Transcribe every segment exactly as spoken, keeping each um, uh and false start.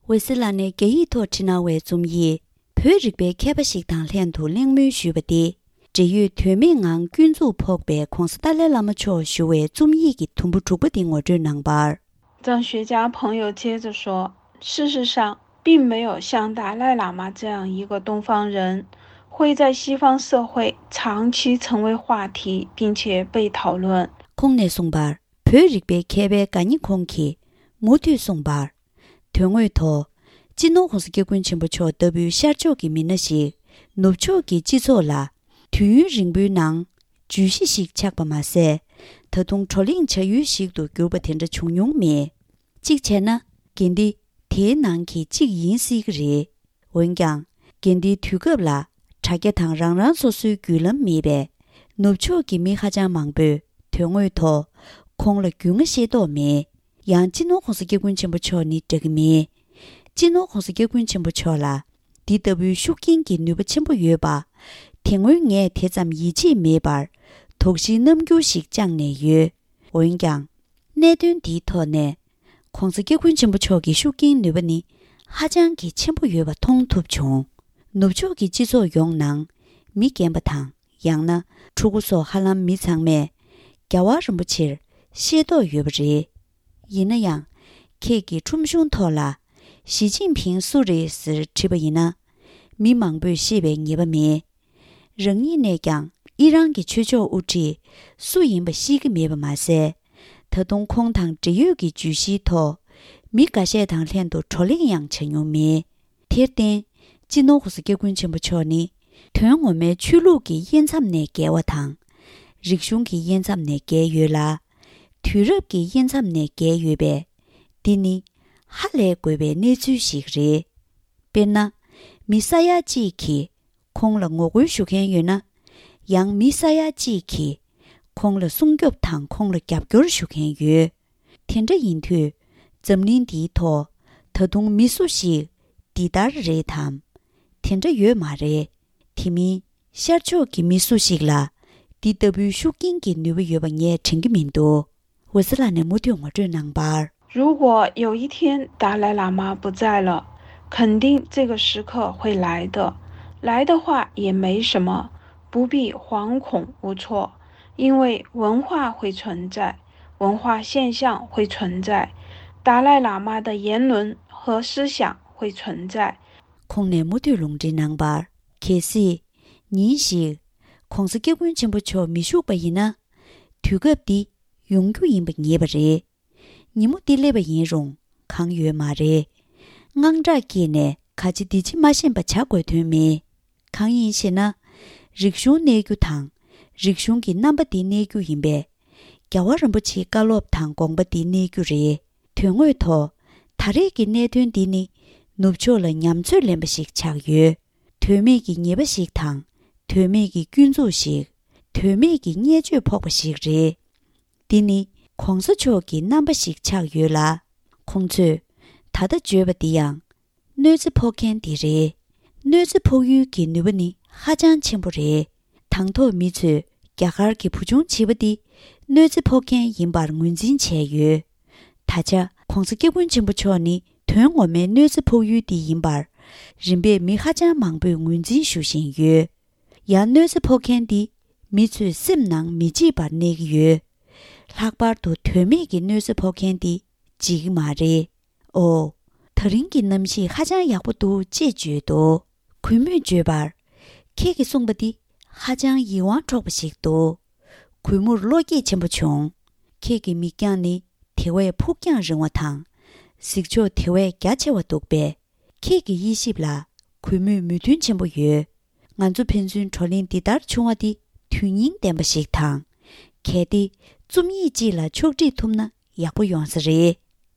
འོད་ཟེར་ལགས་ནས་རྒྱ་ཡིག་ཐོག་བྲིས་གནང་བའི་རྩོམ་ཡིག་བོད་རིག་པའི་མཁས་པ་ཞིག་དང་ལྷན་དུ་གླེང་མོལ་ཞུས་པ་སྟེ། འབྲེལ་ཡོད་དོན་མེད་ངང་སྐྱོན་འཛུགས་ཕོག་པའི་༧གོང་ས་ཏཱ་ལའི་བླ་མ་མཆོག་ཞུ་བའི་རྩོམ་ཡིག་གི་དུམ་བུ་དྲུག་པ་དེ་ངོ་སྤྲོད་གནང་བར། 藏学家朋友接着说，事实上，并没有像达赖喇嘛这样一个东方人，会在西方社会长期成为话题，并且被讨论。 ཁོང་ནས་གསུངས་པར། བོད་རིག་པའི་མཁས་པའི་དགའ་ཉེ་ཁོང་གིས་མུ་མཐུད་གསུངས་པར། དོན་དངོས་ཐོག་སྤྱི་ནོར་༧གོང་ས་༧སྐྱབས་མགོན་ཆེན་པོ་མཆོག་ལྟ་བུའི་ཤར་ཕྱོགས་ཀྱི་མི་སྣ་ཞིག་ནུབ་ཕྱོགས་ཀྱི་སྤྱི་ཚོགས་ལ་དུས་ཡུན་རིང་པོའི་ནང་བརྗོད་གཞི་ཞིག་ཆགས་པ་མ་ཟད། ད་དུང་བགྲོ་གླེང་བྱ་ཡུལ་ཞིག་ཏུ་གྱུར་པ་དེ་འདྲ་བྱུང་མྱོང་མེད། གཅིག་བྱས་ན། འགན་འདི་དེའི་ནང་གི་གཅིག་ཡིན་སྲིད་ཀྱི་རེད། འོན་ཀྱང་། འགན་འདིའི་དུས་སྐབས་ལ་དྲ་རྒྱ་དང་རང་རང་སོ་སོའི་བརྒྱུད་ལམ་མེད་པས། ནུབ་ཕྱོགས་ཀྱི་མི་ཧ་ཅང་མང་པོས་དོན་དངོས་ཐོག་ཁོང་ལ་རྒྱུས་མངའ་ཤེས་རྟོགས་མེད། ཡང་སྤྱི་ནོར་༧གོང་ས་༧སྐྱབས་མགོན་ཆེན་པོ་མཆོག་ནི་འདྲ་གི་མེད། སྤྱི་ནོར་༧གོང་ས་༧སྐྱབས་མགོན་ཆེན་པོ་མཆོག་ལ་འདི་ལྟ་བུའི་ཤུགས་རྐྱེན་གྱི་ནུས་པ་ཆེན་པོ་ཡོད་པ། དེ་སྔོན་ངས་དེ་ཙམ་ཡིད་ཆེས་མེད་པར་དོགས་གཞིའི་རྣམ་འགྱུར་ཞིག་བཅངས་ནས་ཡོད། འོན་ཀྱང་། གནད་དོན་འདིའི་ཐོག་ནས། ༸གོང་ས་༸སྐྱབས་མགོན་ཆེན་པོ་མཆོག་གི་ཤུགས་རྐྱེན་ནུས་པ་ནི་ཧ་ཅང་གི་ཆེན་པོ་ཡོད་པ་མཐོང་ཐུབ་བྱུང་། ནུབ་ཕྱོགས་ཀྱི་སྤྱི་ཚོགས་ཡོངས་ནང་མི་རྒན་པ་དང་ཡང་ན་ཕྲུ་གུ་སོགས་ཧ་ལམ་མི་ཚང་མས་རྒྱལ་བ་རིན་པོ་ཆེར་ཤེས་རྟོགས་ཡོད་པ་རེད། ཡིན་ན་ཡང་། ཁྱེད་ཀྱི་ཁྲོམ་གཞུང་ཐོག་ལ་ཞི་ཅིན་ཕིང་སུ་རེད་ཟེར་དྲིས་པ་ཡིན་ན། མི་མང་པོས་ཤེས་པའི་ངེས་པ་མེད། རང་ཉིད་ནས་ཀྱང་ཨི་རན་གྱི་ཆོས་ཕྱོགས་དབུ་ཁྲིད་སུ་ཡིན་པ་ཤེས་ཀྱི་མེད་པ་མ་ཟད། ད་དུང་ཁོང་དང་འབྲེལ་ཡོད་ཀྱི་བརྗོད་གཞིའི་ཐོག་མི་འགའ་ཤས་དང་ལྷན་དུ་བགྲོ་གླེང་ཡང་བྱ་མྱོང་མེད། དེར་བརྟེན། སྤྱི་ནོར་༸གོང་ས་༸སྐྱབས་མགོན་ཆེན་པོ་མཆོག་ནི་དོན་ངོ་མའི་ཆོས་ལུགས་ཀྱི་དབྱེ་མཚམས་ནས་བརྒལ་བ་དང་། རིག་གཞུང་གི་དབྱེ་མཚམས་ནས་བརྒལ་ཡོད་ལ། དུས་རབས་ཀྱི་དབྱེ་མཚམས་ནས་བརྒལ་ཡོད་པས། འདི་ནི་ཧ་ལས་དགོས་པའི་གནས་ཚུལ་ཞིག་རེད། དཔེར་ན། མི་ས་ཡ་གཅིག་གིས་ཁོང་ལ་ངོ་རྒོལ་ཞུ་མཁན་ཡོད་ན། ཡང་མི་ས་ཡ་གཅིག་གིས་ཁོང་ལ་སྲུང་སྐྱོབ་དང་ཁོང་ལ་རྒྱབ་སྐྱོར་ཞུ་མཁན་ཡོད། དེ་འདྲ་ཡིན་དུས། འཛམ་གླིང་འདིའི་ཐོག་ད་དུང་མི་སུ་ཞིག་འདི་ལྟར་རེད་དམ། དེ་འདྲ་ཡོད་མ་རེད། དེ་མིན་ཤར་ཕྱོགས་ཀྱི་མི་སུ་ཞིག་ལ་འདི་ལྟ་བུའི་ཤུགས་རྐྱེན་གྱི་ནུས་པ་ཡོད་པ་ངས་དྲན་གྱི་མི་འདུག་འོད་ཟེར་ལགས་ནས་མུ་མཐུད་ངོ་སྤྲོད་གནང་བར། 如果有一天达赖喇嘛不在了，肯定这个时刻会来的。来的话也没什么，不必惶恐无措，因为文化会存在，文化现象会存在，达赖喇嘛的言论和思想会存在。 ཁོང་ནས་མུ་མཐུད་ལུང་འདྲེན་གནང་བར། གལ་སྲིད། ཉིན་ཞིག ༸གོང་ས་༸སྐྱབས་མགོན་ཆེན་པོ་མཆོག་མི་བཞུགས་པ་ཡིན་ན། དུས་སྐབས་འདི་ཡོང་རྒྱུ་ཡིན་པ་ངེས་པ་རེད། ཉིན་མོ་འདི་སླེབས་པ་ཡིན་རུང་གང་ཡོད་མ་རེད། དངངས་སྐྲག་སྐྱེས་ནས་ག་ཅི་འདི་ཅི་མ་ཤེས་པ་བྱ་དགོས་དོན་མེད། གང་ཡིན་ཞེ་ན། རིག་གཞུང་གནས་རྒྱུ་དང་། རིག་གཞུང་གི་རྣམ་པ་འདི་གནས་རྒྱུ་ཡིན་པས། རྒྱལ་བ་རིན་པོ་ཆེའི་བཀའ་སློབ་དང་དགོངས་པ་འདི་གནས་རྒྱུ་རེད། དོན་དངོས་ཐོག་ད་རེས་ཀྱི་གནད་དོན་འདི་ནི་ནུབ་ཕྱོགས་ལ་ཉམས་ཚོད་ལེན་པ་ཞིག་ཆགས་ཡོད། དོན་མེད་ཀྱི་ཉེས་པ་ཞིག་དང་། དོན་མེད་ཀྱི་སྐྱོན་འཛུགས་ཤིག་དོན་མེད་ཀྱི་བརྙས་བཅོས་ཕོག་པ་ཞིག་རེད། འདི་ནི་གོང་ས་མཆོག་གི་རྣམ་པ་ཞིག་ཆགས་ཡོད་ལ། ཁོང་ཚོས་ད་ལྟ་བརྗོད་པ་འདི་ཡང་། གནོད་འཚེ་ཕོག་མཁན་འདི་རེད། གནོད་འཚེ་ཕོག་ཡུལ་གྱི་ནུས་པ་ནི་ཧ་ཅང་ཆེན་པོ་རེད། དང་ཐོག་མི་ཚོས་རྒྱ་གར་གྱི་བུ་ཆུང་བྱིས་པ་འདི་གནོད་འཚེ་ཕོག་མཁན་ཡིན་པར་ངོས་འཛིན་བྱས་ཡོད། ད་ཆ་༸གོང་ས་༸སྐྱབས་མགོན་ཆེན་པོ་མཆོག་ནི་དོན་ངོ་མའི་གནོད་འཚེ་ཕོག་ཡུལ་འདི་ཡིན་པར་རིམ་པས་མི་ཧ་ཅང་མང་པོས་ངོས་འཛིན་ཞུ་བཞིན་ཡོད། ཡང་གནོད་འཚེ་ཕོག་མཁན་འདི་མི་ཚོས་སེམས་ནང་མི་བརྗེད་པར་གནས་ཀྱི་ཡོད། ལྷག་པར་དུ་དོན་མེད་ཀྱི་གནོད་འཚེ་ཕོག་མཁན་འདི་བརྗེད་ཀྱི་མ་རེད། ཨོ། ད་རིང་གི་གནམ་གཤིས་ཧ་ཅང་ཡག་པོ་འདུག་ཅེས་བརྗོད་དོ། གུས་མོས་བརྗོད་པར། ཁྱེད་ཀྱིས་གསུངས་པ་འདི་ཧ་ཅང་ཡིད་དབང་འཕྲོག་པ་ཞིག་འདུག་གུས་མོར་བློ་སྐྱེད་ཆེན་པོ་བྱུང་། ཁྱེད་ཀྱི་མིག་རྒྱང་ནི་དེ་བས་ཕུགས་རྒྱང་རིང་བ་དང་། གཟིགས་ཕྱོགས་དེ་བས་རྒྱ་ཆེ་བ་འདུག་པས། ཁྱེད་ཀྱི་དབྱེ་ཞིབ་ལ་གུས་མོས་མོས་མཐུན་ཆེན་པོ་ཡོད། ང་ཚོ་ཕན་ཚུན་བགྲོ་གླེང་འདི་ལྟར་བྱུང་བ་འདི་དོན་སྙིང་ལྡན་པ་ཞིག་དང་། གལ་ཏེ་རྩོམ་ཡིག་ཅིག་ལ་ཕྱོགས་སྒྲིག་ཐུབ་ན་ཡག་པོ་ཡོང་ས་རེད།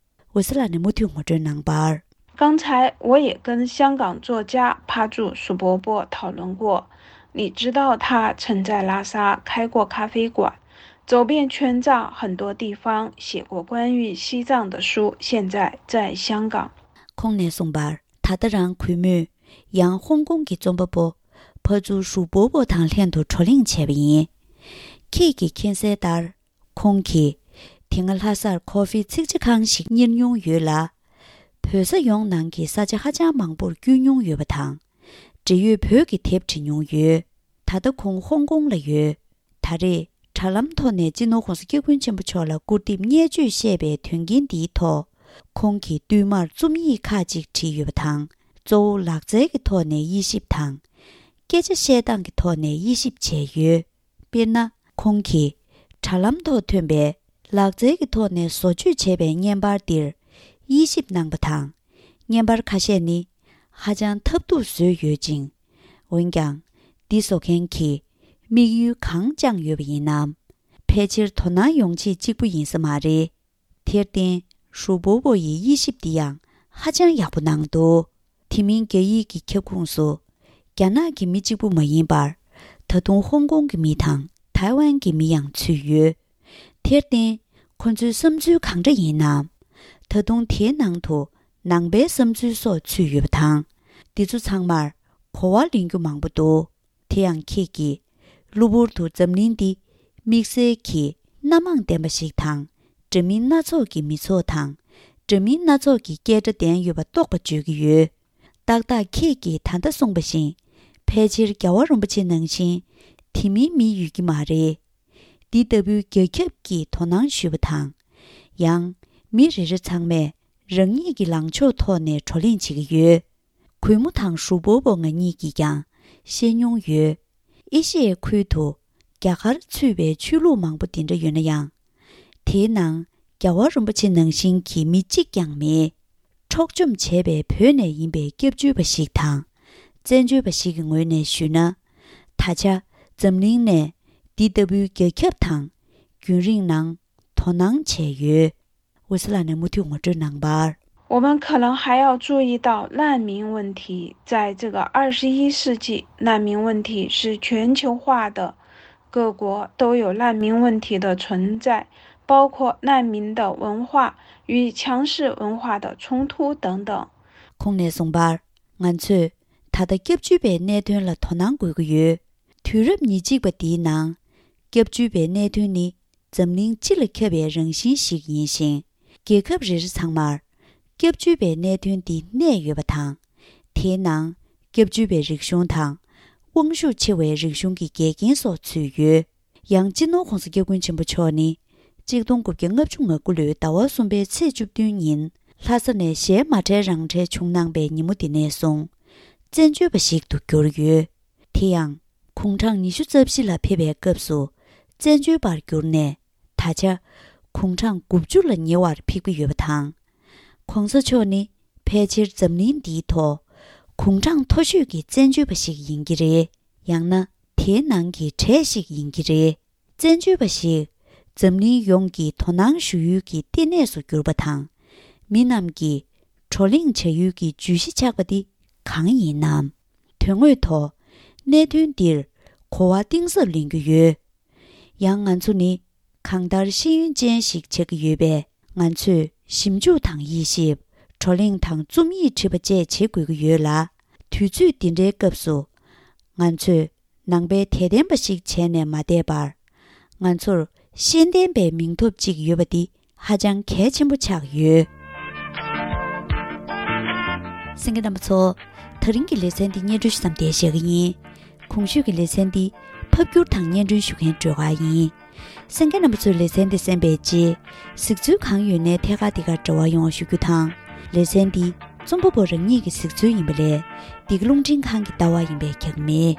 འོད་ཟེར་ལགས་ནས་མུ་མཐུད་ངོ་སྤྲོད་གནང་བར། 刚才我也跟香港作家帕柱鼠伯伯讨论过，你知道他曾在拉萨开过咖啡馆，走遍全藏很多地方，写过关于西藏的书，现在在香港。 ཁོང་ནས་གསུངས་པར། ད་ལྟ་རང་གུས་མོས་ཡང་ཧོང་ཀོང་གི་རྩོམ་པ་པོ་ཕ་ཛུ་ཧྲུའུ་པོ་པོ་དང་ལྷན་དུ་བགྲོ་གླེང་བྱས་པ་ཡིན། ཁྱེད་ཀྱིས་མཁྱེན་གསལ་ལྟར། ཁོང་གིས་དེ་སྔ་ལྷ་སར་ཁོ་ཧྥི་ཚིག་ཇ་ཁང་ཞིག་གཉེར་མྱོང་ཡོད་ལ། ཕ་ བོད་ས་ཡོངས་ནང་གི་ས་ཆ་ཧ་ཅང་མང་པོར་བསྐྱོད་མྱོང་ཡོད་པ་དང་། འབྲེལ་ཡོད་བོད་ཀྱི་དེབ་བྲིས་མྱོང་ཡོད། ད་ལྟ་ཁོང་ཧོང་ཀོང་ལ་ཡོད། ད་རེས་དྲ་ལམ་ཐོག་ནས་སྤྱི་ནོར་༸གོང་ས་༸སྐྱབས་མགོན་ཆེན་པོ་མཆོག་ལ་སྐུར་འདེབས་བརྙས་བཅོས་བཤད་པའི་དོན་རྐྱེན་འདིའི་ཐོག་ཁོང་གིས་བསྟུད་མར་རྩོམ་ཡིག་ཁག་ཅིག་བྲིས་ཡོད་པ་དང་། གཙོ་བོ་ལག་རྩལ་གྱི་ཐོག་ནས་དབྱེ་ཞིབ་དང་། སྐད་ཆ་བཤད་སྟངས་ཀྱི་ཐོག་ནས་དབྱེ་ཞིབ་བྱས་ཡོད། དཔེར་ན། ཁོང་གིས་དྲ་ལམ་ཐོག་ཐོན་པའི་ལག་རྩལ་གྱི་ཐོག་ནས་བཟོ་བཅོས་བྱས་པའི་བརྙན་པར་འདིར་དབྱེ་ཞིབ་གནང་པ་དང་། བརྙན་པར་ཁ་ཤས་ནི་ཧ་ཅང་ཐབས་སྡུག་བཟོས་ཡོད་ཅིང་། འོན་ཀྱང་། འདི་བཟོ་མཁན་གྱིས་དམིགས་ཡུལ་གང་བཅངས་ཡོད་པ་ཡིན་ནམ། ཕལ་ཆེར་དོ་སྣང་ཡོང་ཆེད་གཅིག་པུ་ཡིན་ས་མ་རེད། དེར་བརྟེན། ཧྲུའུ་པོ་པོ་ཡིས་དབྱེ་ཞིབ་འདི་ཡང་ཧ་ཅང་ཡག་པོ་གནང་འདུག་དེ་མིན་རྒྱ་ཡིག་གི་ཁྱབ་ཁོངས་སུ། རྒྱ་ནག་གི་མི་གཅིག་པུ་མ་ཡིན་པར། ད་དུང་ཧོང་ཀོང་གི་མི་དང་ཐའེ་ཝན་གྱི་མི་ཡང་ཚུད་ཡོད། དེར་བརྟེན། ཁོ་ཚོའི་བསམ་ཚུལ་གང་འདྲ་ཡིན་ནམ། ད་དུང་དེའི་ནང་དུ་ནང་པའི་བསམ་ཚུལ་སོགས་ཚུད་ཡོད་པ་དང་། འདི་ཚོ་ཚང་མར་གོ་བ་ལེན་རྒྱུ་མང་པོ་འདུག་དེ་ཡང་ཁྱེད་ཀྱིས་གློ་བུར་དུ་འཛམ་གླིང་འདི་དམིགས་བསལ་གྱི་སྣ་མང་ལྡན་པ་ཞིག་དང་། འདྲ་མིན་སྣ་ཚོགས་ཀྱི་མི་ཚོགས་དང་། འདྲ་མིན་སྣ་ཚོགས་ཀྱི་སྐད་སྒྲ་ལྡན་ཡོད་པ་རྟོགས་པ་བརྗོད་ཀྱི་ཡོད། ཏག་ཏག་ཁྱེད་ཀྱིས་ད་ལྟ་གསུངས་པ་བཞིན། ཕལ་ཆེར་རྒྱལ་བ་རིན་པོ་ཆེ་ནང་བཞིན་དེ་མིན་མི་ཡོད་ཀྱི་མ་རེད། འདི་ལྟ་བུའི་རྒྱ་ཁྱབ་ཀྱིས་དོ་སྣང་ཞུས་པ་དང་། ཡང་། མི་རེ་རེ་ཚང་མས་རང་ཉིད་ཀྱི་ལངས་ཕྱོགས་ཐོག་ནས་བགྲོ་གླེང་བྱེད་ཀྱི་ཡོད། གུས་མོ་དང་ཧྲུའུ་པོ་པོ་ང་གཉིས་ཀྱིས་ཀྱང་བཤད་མྱོང་ཡོད། ཨེ་ཤི་ཡའི་ཁུལ་དུ་རྒྱ་གར་ཚུད་པའི་ཆོས་ལུགས་མང་པོ་དེ་འདྲ་ཡོད་ན་ཡང་། དེའི་ནང་རྒྱལ་བ་རིན་པོ་ཆེ་ནང་བཞིན་གྱི་མི་གཅིག་ཀྱང་མེད། འཕྲོག་བཅོམ་བྱས་པའི་བོད་ནས་ཡིན་པའི་སྐྱབས་བཅོལ་བ་ཞིག་དང་། བཙན་བྱོལ་བ་ཞིག་གི་ངོས་ནས་ཞུས་ན། ད་ཆ་འཛམ་གླིང་ནས་འདི་ལྟ་བུའི་རྒྱ་ཁྱབ་དང་རྒྱུན་རིང་ནང་དོ་སྣང་བྱས་ཡོད། འོད་ཟེར་ལགས་ནས་མུ་མཐུད་ངོ་སྤྲོད་གནང་བར། 我们可能还要注意到难民问题，在这个二十一世纪，难民问题是全球化的，各国都有难民问题的存在，包括难民的文化与强势文化的冲突等等。 ཁོང་ནས་གསུངས་པར། ང་ཚོས་ད་ལྟ་སྐྱབས་བཅོལ་བའི་གནད་དོན་ལ་དོ་སྣང་དགོས་ཀྱི་ཡོད། དུས་རབས་ཉེར་གཅིག་པ་འདིའི་ནང་། སྐྱབས་བཅོལ་བའི་གནད་དོན་ནི་འཛམ་གླིང་སྤྱི་ལ་ཁྱབ་པའི་རང་བཞིན་ཞིག་ཡིན་ཞིང་། རྒྱལ་ཁབ་རེ་རེ་ཚང་མར་སྐྱབས་བཅོལ་བའི་གནད་དོན་འདི་གནས་ཡོད་པ་དང་། དེའི་ནང་སྐྱབས་བཅོལ་བའི་རིག་གཞུང་དང་། དབང་ཤུགས་ཆེ་བའི་རིག་གཞུང་གི་འགལ་རྐྱེན་སོགས་ཚུད་ཡོད། ཡང་སྤྱི་ནོར་༸གོང་ས་༸སྐྱབས་མགོན་ཆེན་པོ་མཆོག་ནི། གཅིག་སྟོང་དགུ་བརྒྱ་ལྔ་བཅུ་ང་དགུ་ལོའི་ཟླ་བ་གསུམ་པའི་ཚེས་བཅུ་བདུན་ཉིན་ལྷ་ས་ནས་ཞལ་མ་བྲལ་རང་བྲལ་བྱུང་གནང་པའི་ཉིན་མོ་དེ་ནས་བཟུང་བཙན་བྱོལ་བ་ཞིག་ཏུ་གྱུར་ཡོད། དེ་ཡང་དགུང་གྲངས་ཉི་ཤུ་རྩ་བཞི་ལ་ཕེབས་པའི་སྐབས་སུ་བཙན་བྱོལ་བར་གྱུར་ནས་ད་ཆ་དགུང་གྲངས་དགུ་བཅུ་ལ་ཉེ་བར་ཕེབས་ཀྱི་ཡོད་པ་དང་། ༸གོང་ས་མཆོག་ནི་ཕལ་ཆེར་འཛམ་གླིང་འདིའི་ཐོག་དགུང་གྲངས་མཐོ་ཤོས་ཀྱི་བཙན་བྱོལ་བ་ཞིག་ཡིན་གྱི་རེད། ཡང་ན་དེའི་ནང་གི་གྲས་ཤིག་ཡིན་གྱི་རེད། བཙན་བྱོལ་བ་ཞིག་འཛམ་གླིང་ཡོངས་ཀྱིས་དོ་སྣང་ཞུ་ཡུལ་གྱི་ལྟེ་གནས་སུ་གྱུར་པ་དང་། མི་རྣམས་ཀྱིས་བགྲོ་གླེང་བྱ་ཡུལ་གྱི་བརྗོད་གཞི་ཆགས་པ་འདི་གང་ཡིན་ནམ། དོན་དངོས་ཐོག་གནད་དོན་འདིར་གོ་བ་གཏིང་ཟབ་ལེན་རྒྱུ་ཡོད། ཡང་ང་ཚོ་ནི་གང་ལྟར་ཤེས་ཡོན་ཅན་ཞིག་ཆགས་ཀྱི་ཡོད་པས། ང་ཚོས་ཞིབ་འཇུག་དང་དབྱེ་ཞིབ། བགྲོ་གླེང་དང་རྩོམ་ཡིག་བྲིས་པ་བཅས་བྱེད་དགོས་ཀྱི་ཡོད་ལ། དུས་ཚོད་འདི་འདྲའི་སྐབས་སུ། ང་ཚོས་ནང་པའི་དད་ལྡན་པ་ཞིག་བྱས་ནས་མ་བསྡད་པར། ང་ཚོར་ཤེས་ལྡན་པའི་མིང་ཐོབ་ཅིག་ཡོད་པ་འདི་ཧ་ཅང་གལ་ཆེན་པོ་ཆགས་ཡོད། གསན་མཁན་རྣམ་པ་ཚོ། ད་རིང་གི་ལེ་ཚན་འདི་སྙན་སྒྲོན་ཞུ་མཚམས་འདིར་བཞག་གི་ཡིན། གོང་ཞུས་ཀྱི་ལེ་ཚན་འདི་ཕབ་སྒྱུར་དང་སྙན་སྒྲོན་ཞུ་མཁན་སྒྲོལ་དཀར་ཡིན། གསན་མཁན་རྣམ་པ་ཚོས་ལེ་ཚན་འདི་གསན་པའི་རྗེས། གཟིགས་ཚུལ་གང་ཡོད་ནས་ཐད་ཀར་འདི་གར་འབྲེལ་བ་ཡོང་བ་ཞུ་རྒྱུ་དང་། ལེ་ཚན་འདི་རྩོམ་པ་པོ་རང་ཉིད་ཀྱི་གཟིགས་ཚུལ་ཡིན་པ་ལས། འདི་ག་རླུང་འཕྲིན་ཁང་གི་ལྟ་བ་ཡིན་པས་ཁྱབ་མེད།